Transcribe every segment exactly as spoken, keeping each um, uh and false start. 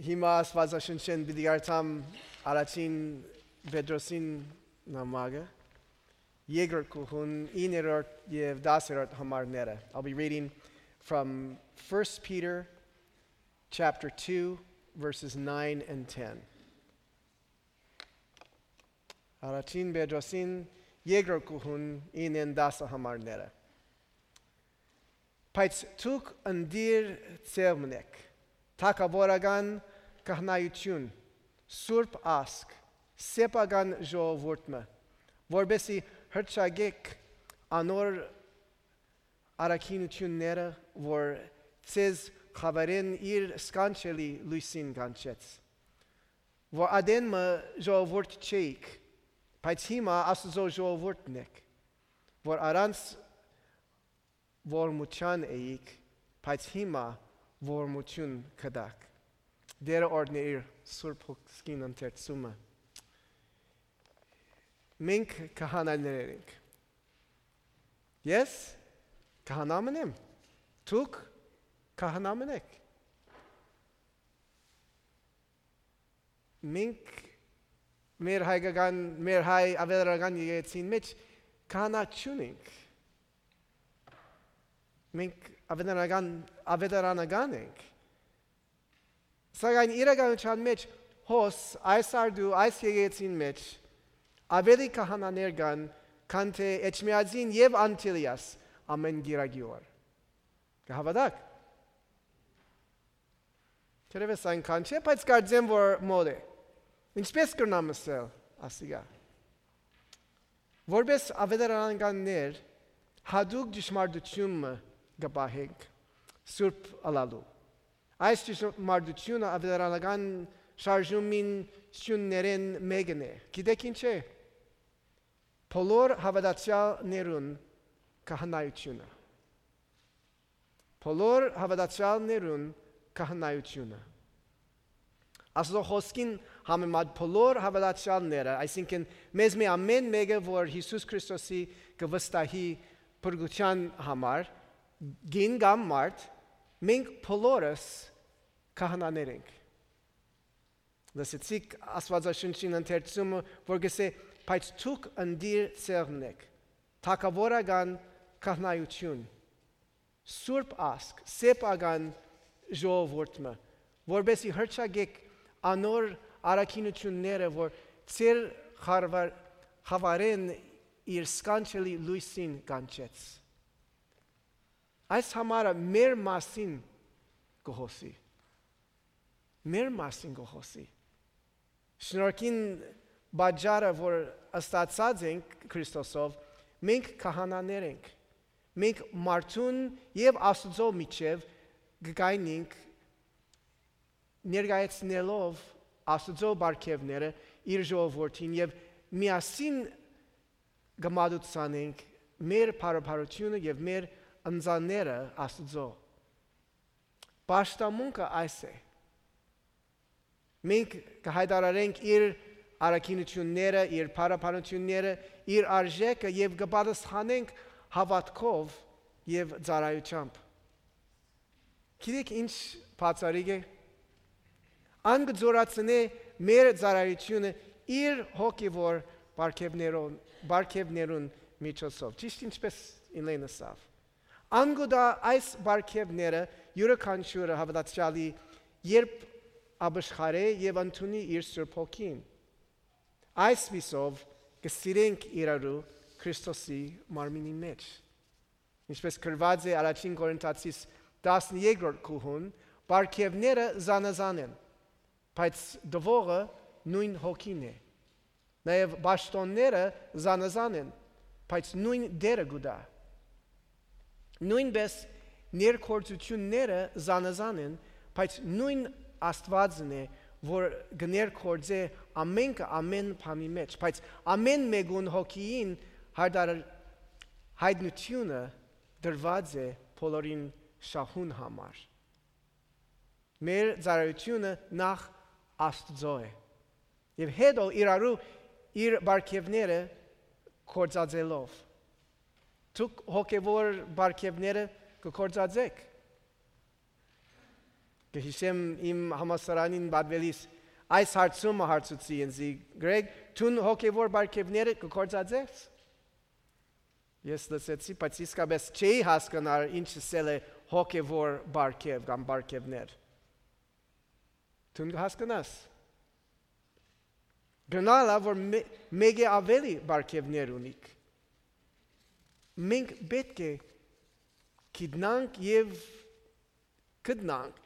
Հիմա Աստուածաշունչէն պիտի կարդամ առաջին Պետրոսին նամակը, երկրորդ գլխուն, իններորդ եւ տասերորդ համարները։ I'll be reading from First Peter chapter two, verses nine and ten. Առաջին Պետրոսին երկրորդ գլխուն, իննեն տասը համարները։ Բայց դուք ընտիր ձեւն էք, թագաւորական քահանայութիւն, սուրբ ազգ, սեփական ժողովուրդ մը, որպէսզի հռչակէք անոր առաքինութիւնները, որ ձեզ խաւարէն իր սքանչելի լոյսին կանչեց, որ ատեն մը ժողովուրդ չէիք, բայց հիմա Աստուծոյ ժողովուրդն էք, որ առանց ողորմութեան էիք, բայց հիմա ողորմութիւն կ'տաք։ Տէրը օրհնէ իր սուրբ հոգսին ընթերցումը։ Մենք քահանաներ ենք։ Ես քահանա մըն եմ։ Դուք քահանա մըն էք։ Մենք մեր հայկական, մեր հայ աւետարանական եկեղեցին մէջ քահանա չունենք։ Մենք աւետարանական, աւետարանական ենք։ Սակայն իրականութեան մէջ հոս այս արտու, այս եկեղեցին մէջ աւելի քահանաներ կան, քան թէ Էջմիածին եւ Անտիլիաս ամէն կիրակի օր։ Կը հաւատա՞ք։ Թերեւս այնքան չէ, բայց կարծեմ, որ մոտ է։ Ինչպէս կրնամ ըսել ասիկա։ Որպէս աւետարանականներ, յատուկ ճշմարտութիւն մը կը պահենք սուրբ ըլլալու։ Այս ճշմարտութիւնը աւետարանական շարժումին սիւններէն մէկն է։ Գիտէք ի՞նչ է։ Բոլոր հաւատացեալներուն քահանայութիւնը։ Բոլոր հաւատացեալներուն քահանայութիւնը։ Աստուծոյ խօսքին համեմատ բոլոր հաւատացեալները, այսինքն՝ մեզմէ ամէն մէկը, որ Յիսուս Քրիստոսի կը վստահի փրկութեան համար, կին կամ մարդ, մենք բոլորս քահանաներ ենք։ Լսեցիք Աստուածաշունչին ընթերցումը, որ կ'ըսէ. «Բայց դուք ընտիր ձեւն էք, թագաւորական քահանայութիւն, սուրբ ազգ, սեփական ժողովուրդ մը, որպէսզի հռչակէք անոր առաքինութիւնները, որ ձեր խարվար-, խաւարէն իր սքանչելի լոյսին կանչեց»։ Այս համարը մեր մասին կը խօսի։ Մեր մասին կը խօսի։ Շնորհքին պատճառը, որ ստացած ենք Քրիստոսով, մենք քահանաներ ենք։ Մենք մարդուն եւ Աստուծոյ միջեւ կը կայնենք, ներկայացնելով Աստուծոյ պարգեւները իր ժողովուրդին եւ միասին կը մատուցանենք մեր փառաբարությունը եւ մեր ընծաները Աստուծոյ։ Պաշտամունքը այս է։ Մենք կը յայտարարենք իր առաքինութիւնները, իր փառաբանութիւնները, իր արժէքը եւ կը պատասխանենք հաւատքով եւ ծառայութեամբ։ Գիտեք ի՞նչ բացառիկ է։ Ան կը զօրացնէ մեր ծառայութիւնը իր հոգեւոր պարգևներուն, պարգևներուն միջոցով, ճիշտ ինչպէս Իլեն ըսաւ։ Ան կու տայ այս պարգևները յուրաքանչիւրը հաւատացեալի, երբ ապաշխարէ եւ ընդունի իր Սուրբ Հոգին։ Այսպիսով կը սիրենք իրարու Քրիստոսի մարմինի մէջ։ Ինչպէս գրուած է Առաջին Կորինթացիս տասներկրորդ գլխուն, պարգևները զանազան են, բայց տուողը նոյն Հոգին է։ Նաեւ պաշտօնները զանազան են, բայց նոյն Տէրը կու տայ։ Նոյնպէս ներգործութիւնները զանազան են, բայց նոյն Աստուածն է, որ կը ներգործէ ամենքը ամէն բանի մէջ, բայց ամէն մէկուն Հոգիին յայտար-, յայտնութիւնը տրուած է բոլորին շահուն համար։ Մեր ծառայութիւնը նախ Աստուծոյ է, եւ հետո իրարու իր պարգեւները գործածելով։ Դուք հոգեւոր պարգեւները կը գործածէք։ Կը յիշեմ իմ համալսարանին պատուելիս այս հարցումը հարցուցի ինձի. «Գրեգ, դուն հոգեվոր պարգեւները կը գործածես»։ Ես լսեցի, բայց իսկապես չէի հասկնար ինչ ըսել է հոգեվոր պարգեւ կամ պարգեւներ։ Դուն կը հասկնաս։ Գնալա, որ մէ-, մէկէ աւելի պարգեւներ ունիք։ Մենք պէտք է գիտնանք եւ գտնանք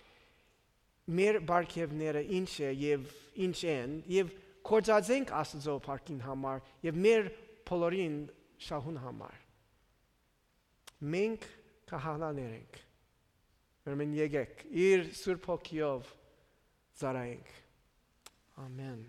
մեր պարգեւները ինչ է եւ ինչ են, եւ գործածենք Աստուծոյ փառքին համար եւ մեր բոլորին շահուն համար։ Մենք քահանաներ ենք։ Ուրեմն եկեք, իր Սուրբ Հոգիով ծառայենք։ Ամեն։